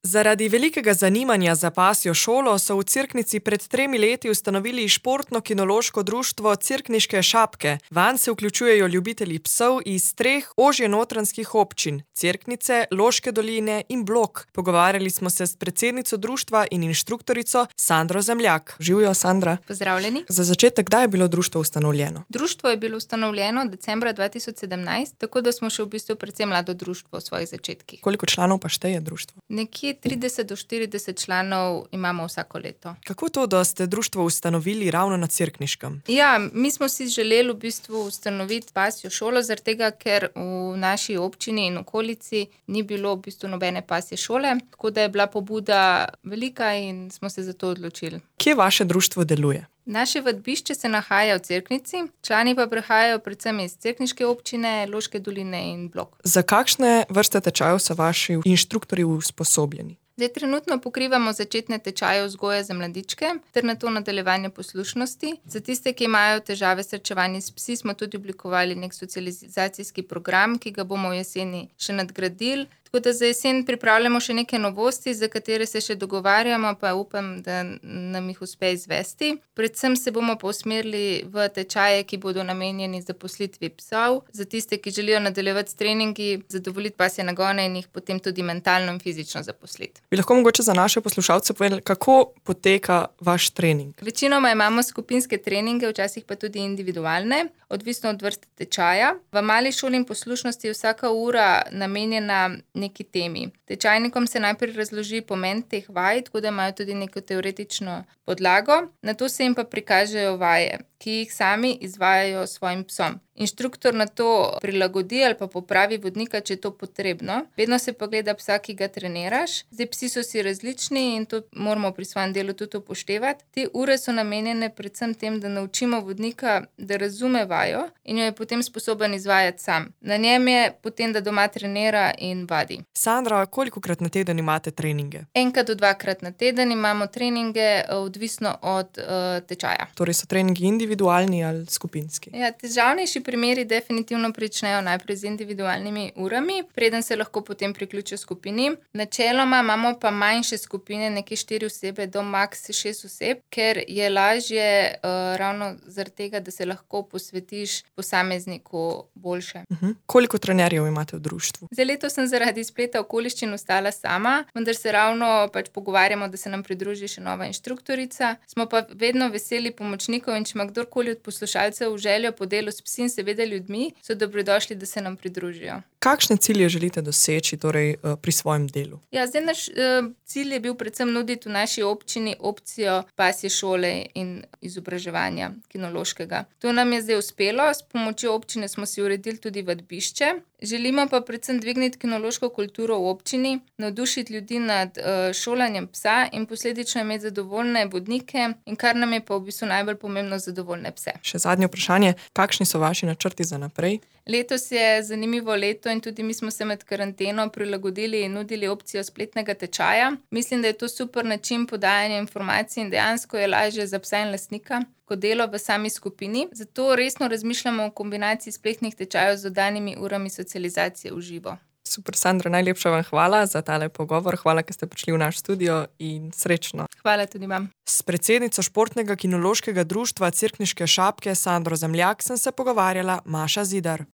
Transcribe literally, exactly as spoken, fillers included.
Zaradi velikega zanimanja za pasjo šolo so v Cerknici pred tremi leti ustanovili športno-kinološko društvo Cerkniške šapke. Vanj se vključujejo ljubitelji psov iz treh ožjenotranskih občin: Cerknice, Loške doline in Blok. Pogovarjali smo se s predsednico društva in inštruktorico Sandro Zemljak. Živjo, Sandra. Pozdravljeni. Za začetek, kdaj je bilo društvo ustanovljeno? Društvo je bilo ustanovljeno decembra dva tisoč sedemnajst, tako da smo še v bistvu predvsem mlado društvo v svojih začetkih. Koliko članov pa šteje društvo? Nekje trideset do štirideset članov imamo vsako leto. Kako to, da ste društvo ustanovili ravno na Cerkniškem? Ja, mi smo si želeli v bistvu ustanoviti pasjo šolo, zaradi tega, ker v naši občini in okolici ni bilo v bistvu nobene pasje šole, tako da je bila pobuda velika in smo se za to odločili. Kje vaše društvo deluje? Naše vadbišče se nahaja v Cerknici, člani pa prihajajo predvsem iz cerkniške občine, Loške doline in Blok. Za kakšne vrste tečajev so vaši inštruktorji usposobljeni? Zdaj, trenutno pokrivamo začetne tečaje vzgoje za mladičke ter nato nadaljevanje poslušnosti. Za tiste, ki imajo težave s srečevanjem s psi, smo tudi oblikovali nek socializacijski program, ki ga bomo v jeseni še nadgradili. Tako da za jesen pripravljamo še neke novosti, za katere se še dogovarjamo, pa upam, da nam jih uspe izvesti. Predvsem se bomo pa usmerili v tečaje, ki bodo namenjeni zaposlitvi psov, za tiste, ki želijo nadaljevati s treningi, zadovoljiti pasje nagone in jih potem tudi mentalno in fizično zaposliti. Bi lahko mogoče za naše poslušalce povedali, kako poteka vaš trening? Večinoma imamo skupinske treninge, včasih pa tudi individualne, odvisno od vrste tečaja. V mali šoli in poslušnosti je vsaka ura namenjena neki temi. Tečajnikom se najprej razloži pomen teh vaj, tako da imajo tudi neko teoretično podlago, nato se jim pa prikažejo vaje, ki jih sami izvajajo svojim psom. Inštruktor na to prilagodi ali pa popravi vodnika, če je to potrebno. Vedno se pa gleda psa, ki ga treniraš. Zdaj, psi so si različni in to moramo pri svojem delu tudi upoštevati. Te ure so namenjene predvsem tem, da naučimo vodnika, da razume vajo in jo je potem sposoben izvajati sam. Na njem je potem, da doma trenira in vadi. Sandra, kolikokrat na teden imate treninge? Enkrat do dvakrat na teden imamo treninge, odvisno od uh, tečaja. Torej so treningi individualni ali skupinski? Ja, težavnejši primeri definitivno pričnejo najprej z individualnimi urami, preden se lahko potem priključijo skupini. Načeloma imamo pa manjše skupine, nekje štiri osebe do maks šest oseb, ker je lažje uh, ravno zaradi tega, da se lahko posvetiš posamezniku boljše. Uh-huh. Koliko trenerjev imate v društvu? Za leto sem zaradi spleta okoliščin ostala sama, vendar se ravno pač pogovarjamo, da se nam pridruži še nova inštruktorica. Smo pa vedno veseli pomočnikov in če ima kdorkoli od poslušalcev željo po delu s psi in seveda ljudmi, so dobrodošli, da se nam pridružijo. Kakšne cilje želite doseči torej, pri svojem delu? Ja, zdaj naš uh, cilj je bil predvsem nuditi v naši občini opcijo pasje šole in izobraževanja kinološkega. To nam je zdaj uspelo, s pomočjo občine smo si uredili tudi vadbišče. Želimo pa predvsem dvigniti kinološko kulturo v občini, navdušiti ljudi nad uh, šolanjem psa in posledično imeti zadovoljne vodnike in kar nam je pa v bistvu najbolj pomembno, zadovoljne pse. Še zadnje vprašanje, kakšni so vaši načrti za naprej? Letos je zanimivo leto in tudi mi smo se med karanteno prilagodili in nudili opcijo spletnega tečaja. Mislim, da je to super način podajanja informacij in dejansko je lažje za psa in lastnika kot delo v sami skupini. Zato resno razmišljamo o kombinaciji spletnih tečajev z dodanimi urami socializacije v živo. Super, Sandra, najlepša vam hvala za tale pogovor. Hvala, ker ste prišli v naš studio in srečno. Hvala tudi vam. S predsednico športnega kinološkega društva Cerkniške šapke Sandro Zemljak sem se pogovarjala Maša Zidar.